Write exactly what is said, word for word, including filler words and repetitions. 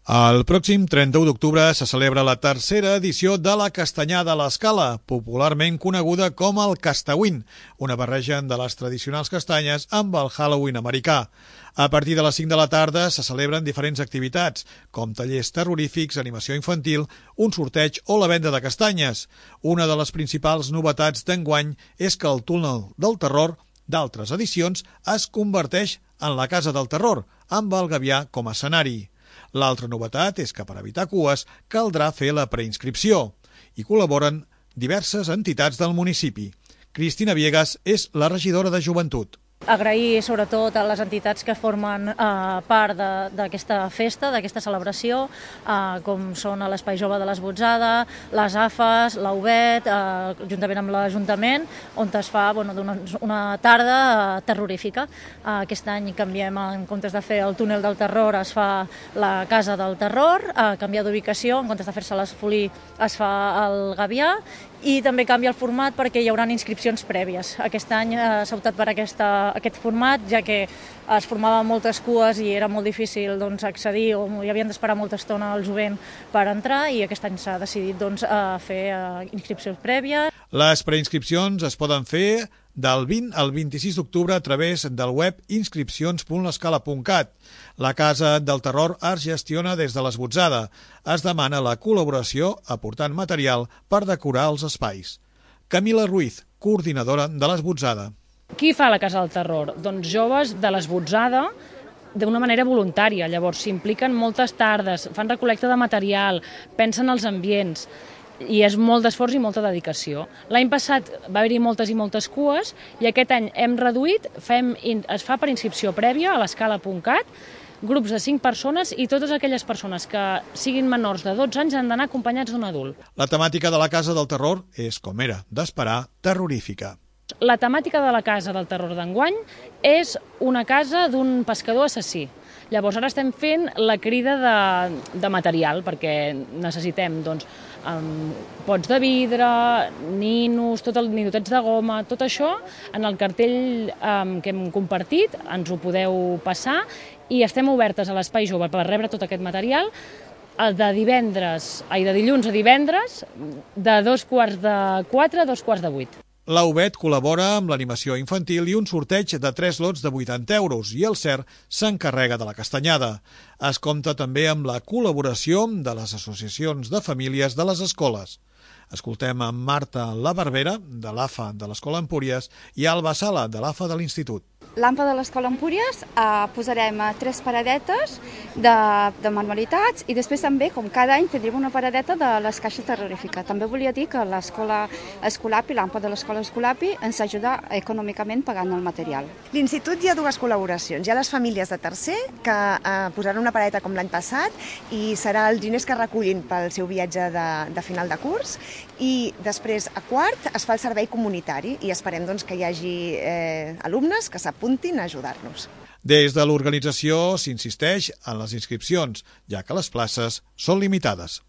El pròxim trenta-u d'octubre se celebra la tercera edició de la Castanyada a l'Escala, popularment coneguda com el Castawin, una barreja de les tradicionals castanyes amb el Halloween americà. A partir de les cinc de la tarda se celebren diferents activitats, com tallers terrorífics, animació infantil, un sorteig o la venda de castanyes. Una de les principals novetats d'enguany és que el túnel del terror d'altres edicions es converteix en la Casa del Terror, amb el Gavià com a escenari. L'altra novetat és que per evitar cues caldrà fer la preinscripció. Hi col·laboren diverses entitats del municipi. Cristina Viegas és la regidora de Joventut. Agrair sobretot a les entitats que formen eh, part d'aquesta festa, d'aquesta celebració, eh, com són l'Espai Jove de l'Esbotzada, les A F A S, l'A U B E T, eh, juntament amb l'Ajuntament, on es fa bueno, una, una tarda eh, terrorífica. Eh, aquest any canviem, en comptes de fer el túnel del terror, es fa la Casa del Terror, eh, canvia d'ubicació, en comptes de fer-se l'Esfolí es fa el Gavià, i també canvia el format perquè hi haurà inscripcions prèvies. Aquest any eh, s'ha optat per aquesta, aquest format, ja que es formaven moltes cues i era molt difícil doncs, accedir o hi havien d'esperar molta estona al jovent per entrar, i aquest any s'ha decidit doncs, eh, fer eh, inscripcions prèvies. Les preinscripcions es poden fer del vint al vint-i-sis d'octubre a través del web inscripcions punt l'escala punt cat. La Casa del Terror es gestiona des de l'Esbotzada. Es demana la col·laboració aportant material per decorar els espais. Camila Ruiz, coordinadora de l'Esbotzada. Qui fa la Casa del Terror? Doncs joves de l'Esbotzada, d'una manera voluntària. Llavors s'impliquen moltes tardes, fan recol·lecta de material, pensen els ambients, i és molt d'esforç i molta dedicació. L'any passat va haver-hi moltes i moltes cues i aquest any hem reduït, fem, es fa per inscripció prèvia a l'escala punt cat, grups de cinc persones, i totes aquelles persones que siguin menors de dotze anys han d'anar acompanyats d'un adult. La temàtica de la Casa del Terror és, com era d'esperar, terrorífica. La temàtica de la Casa del Terror d'enguany és una casa d'un pescador assassí. Llavors ara estem fent la crida de, de material, perquè necessitem doncs, um, pots de vidre, ninos, tot el, ninotets de goma, tot això en el cartell um, que hem compartit, ens ho podeu passar, i estem obertes a l'Espai Jove per rebre tot aquest material de divendres, ai, de dilluns a divendres, de dos quarts de quatre a dos quarts de vuit. L'A U B E T col·labora amb l'animació infantil i un sorteig de tres lots de vuitanta euros, i el C E R s'encarrega de la castanyada. Es compta també amb la col·laboració de les associacions de famílies de les escoles. Escoltem a Marta La Barbera, de l'A F A de l'Escola Empúries, i Alba Sala, de l'A F A de l'Institut. L'A M P A de l'Escola Empúries eh, posarem tres paradetes de, de manualitats, i després també, com cada any, tindrem una paradeta de les caixes terrorífiques. També volia dir que l'Escola Escolapi, l'A M P A de l'Escola Escolapi, ens ajuda econòmicament pagant el material. L'Institut hi ha dues col·laboracions. Hi ha les famílies de tercer, que eh, posaran una paradeta com l'any passat, i serà els diners que recullin pel seu viatge de, de final de curs, i després a quart es fa el servei comunitari, i esperem doncs, que hi hagi eh, alumnes que s'apuntin a ajudar-nos. Des de l'organització s'insisteix en les inscripcions, ja que les places són limitades.